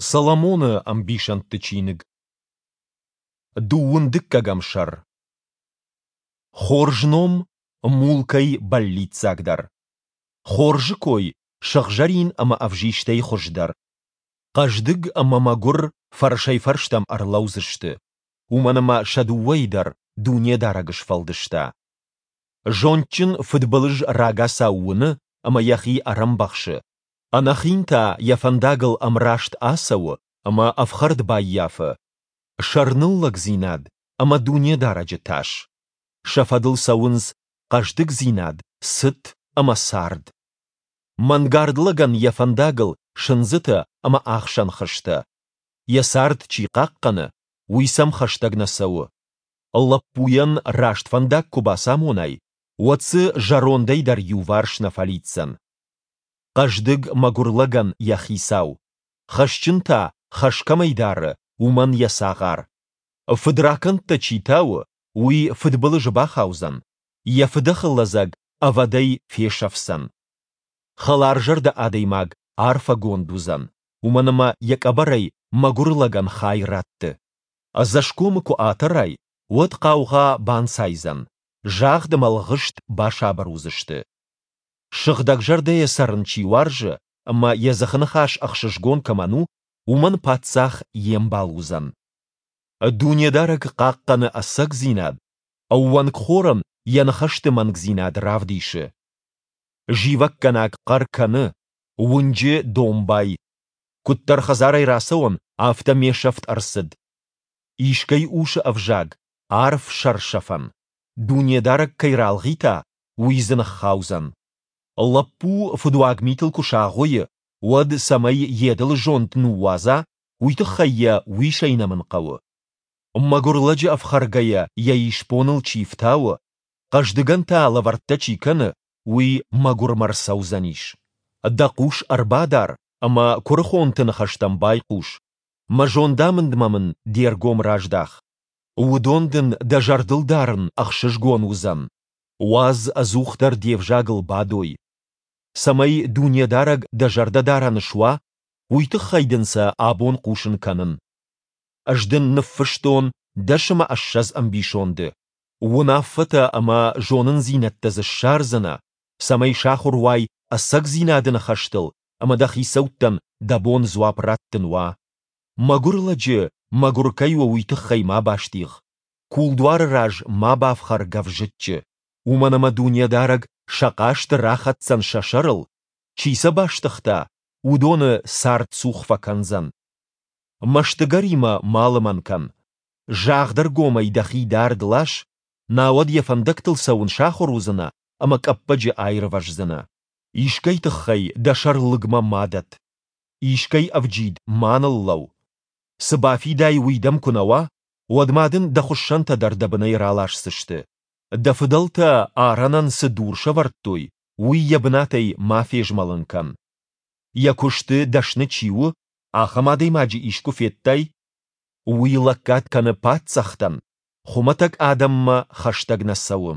Соломоны ӕмбисӕндты чиныг. Дыууын дыккӕгӕм сӕр. Хорз ном мулкӕй бӕллиццагдӕр. Хорзы кой сыгъзӕрин ӕмӕ ӕвзистӕй хуыздӕр. Хъӕздыг ӕмӕ мӕгуыр фӕрсӕй-фӕрстӕм ӕрлӕудзысты, уымӕн ӕмӕ сӕ дыууӕйы дӕр Дунедарӕг сфӕлдыста. Зондджын фыдбылыз рагацау уыны ӕмӕ йӕхи ӕрӕмбӕхсы, Ӕнӕхин та йӕ фӕндагыл ӕмраст ацӕуы ӕмӕ ӕфхӕрд баййафы. Сӕрныллӕгдзинад ӕмӕ Дунедарӕджы тас. Сӕ фӕдыл цӕуынц хъӕздыгдзинад, цыт ӕмӕ цард. Мӕнгард лӕгӕн йӕ фӕндагыл сындзытӕ ӕмӕ ӕхсӕн хызтӕ. Йӕ цард чи хъахъхъӕны, уый сӕм хӕстӕг нӕ цӕуы. Лӕппуйӕн раст фӕндаг куы бацамонай, уӕд дзы зӕрондӕй дӕр иуварс нӕ фӕлидздзӕн. Хъӕздыг мӕгуыр лӕгӕн йӕ хицау, хӕсджын та, хӕс кӕмӕй дары, уымӕн йӕ цагъар. Фыдракӕндтӕ чи тауы, уый фыдбылызы бахаудзӕн, йӕ фыдӕхы лӕдзӕг ӕвӕдӕй фесӕфдзӕн. Хӕларзӕрдӕ адӕймаг арфӕгонд уыдзӕн, уымӕн ӕмӕ йӕ къӕбӕрӕй мӕгуыр лӕгӕн хай ратты. Ӕдзӕсгомы куы атӕрай, уӕд хъаугъа банцайдзӕн, загъд ӕмӕ лгъыст басабыр уыдзысты. Сыгъдӕгзӕрдӕйӕ цӕрын чи уарзы ӕмӕ йӕ дзыхыныхас ӕхсызгон кӕмӕн у, уымӕн паддзах йе мбал уыдзӕн. Дунедарӕг хъахъхъӕны ӕцӕгдзинад, ӕууӕнкхорӕн йӕ ныхӕсты мӕнгдзинад равдисы. Зивӕггӕнаг хъӕр кӕны, уынджы домбай. Куыддӕр хӕдзарӕй рацӕуон, афтӕ ме сӕфт ӕрцыд. Искӕй усы ӕвзаг, арф сӕрсӕфӕн. Дунедарӕг кӕй ралгъита, уый дзы ныххаудзӕн. Лӕппу фыдуаг митыл куы сагъуыйы, уӕд цӕмӕй йе дылы зонд ныууадза, уый тыххӕй йӕ уисӕй нӕмын хъӕуы. Мӕгуыр лӕджы ӕфхӕргӕйӕ йӕ исбоныл чи фтауы, хъӕздыгӕн та лӕвӕрттӕ чи кӕны, уый мӕгуырмӕ рцӕудзӕнис. Дӕ хъус ӕрбадар ӕмӕ куырыхонты ныхӕстӕм байхъус, мӕ зондамындмӕ мын де ргом раздах. Уыдон дын дӕ зӕрдыл дарын ӕхсызгон уыдзӕн. Уадз ӕдзухдӕр де взагыл бадой. Цӕмӕй Дунедарӕг дӕ зӕрдӕдарӕн суа, уый тыххӕй дын сӕ абон хъусын кӕнын. Ӕз дын ныффыстон 20 ӕмбисонды. Уынаффӕтӕ ӕмӕ зонындзинӕдтӕ дзы ссардзынӕ, цӕмӕй сахуыр уай ӕцӕгдзинады ныхӕстыл ӕмӕ дӕ хицӕуттӕн дӕ бон дзуапп раттын уа. Мӕгуыр лӕджы мӕгуыр кӕй у, уый тыххӕй ма бастигъ. Кулдуары раз ма бафхӕр гӕвзыччы, уымӕн ӕмӕ Дунедарӕг сӕ хъасты рахӕцдзӕн сӕ сӕрыл, чи сӕ бастыгъта, уыдоны цардцух фӕкӕндзӕн. Мӕстыгӕримӕ ма лымӕн кӕн. Загъдӕргомӕй дӕхи дард лас, науӕд йӕ фӕндӕгтыл цӕуын сахуыр уыдзынӕ ӕмӕ къӕппӕджы аирвӕздзынӕ. Искӕй тыххӕй дӕ сӕр лыгмӕ ма дӕтт. Искӕй ӕвджид ма ныллӕуу. Цы бафидай, уый дӕм куы нӕ уа, уӕд ма дын дӕ хуыссӕнтӕ дӕр дӕ бынӕй раласдзысты. Дӕ фыдӕлтӕ арӕнӕн цы дур сӕвӕрдтой, уый йӕ бынатӕй ма фезмӕлын кӕн. Йӕ куысты дӕсны чи у, ахӕм адӕймаджы искуы федтай? Уый лӕггад кӕны паддзӕхтӕн, хуымӕтӕг адӕммӕ хӕстӕг нӕ цӕуы.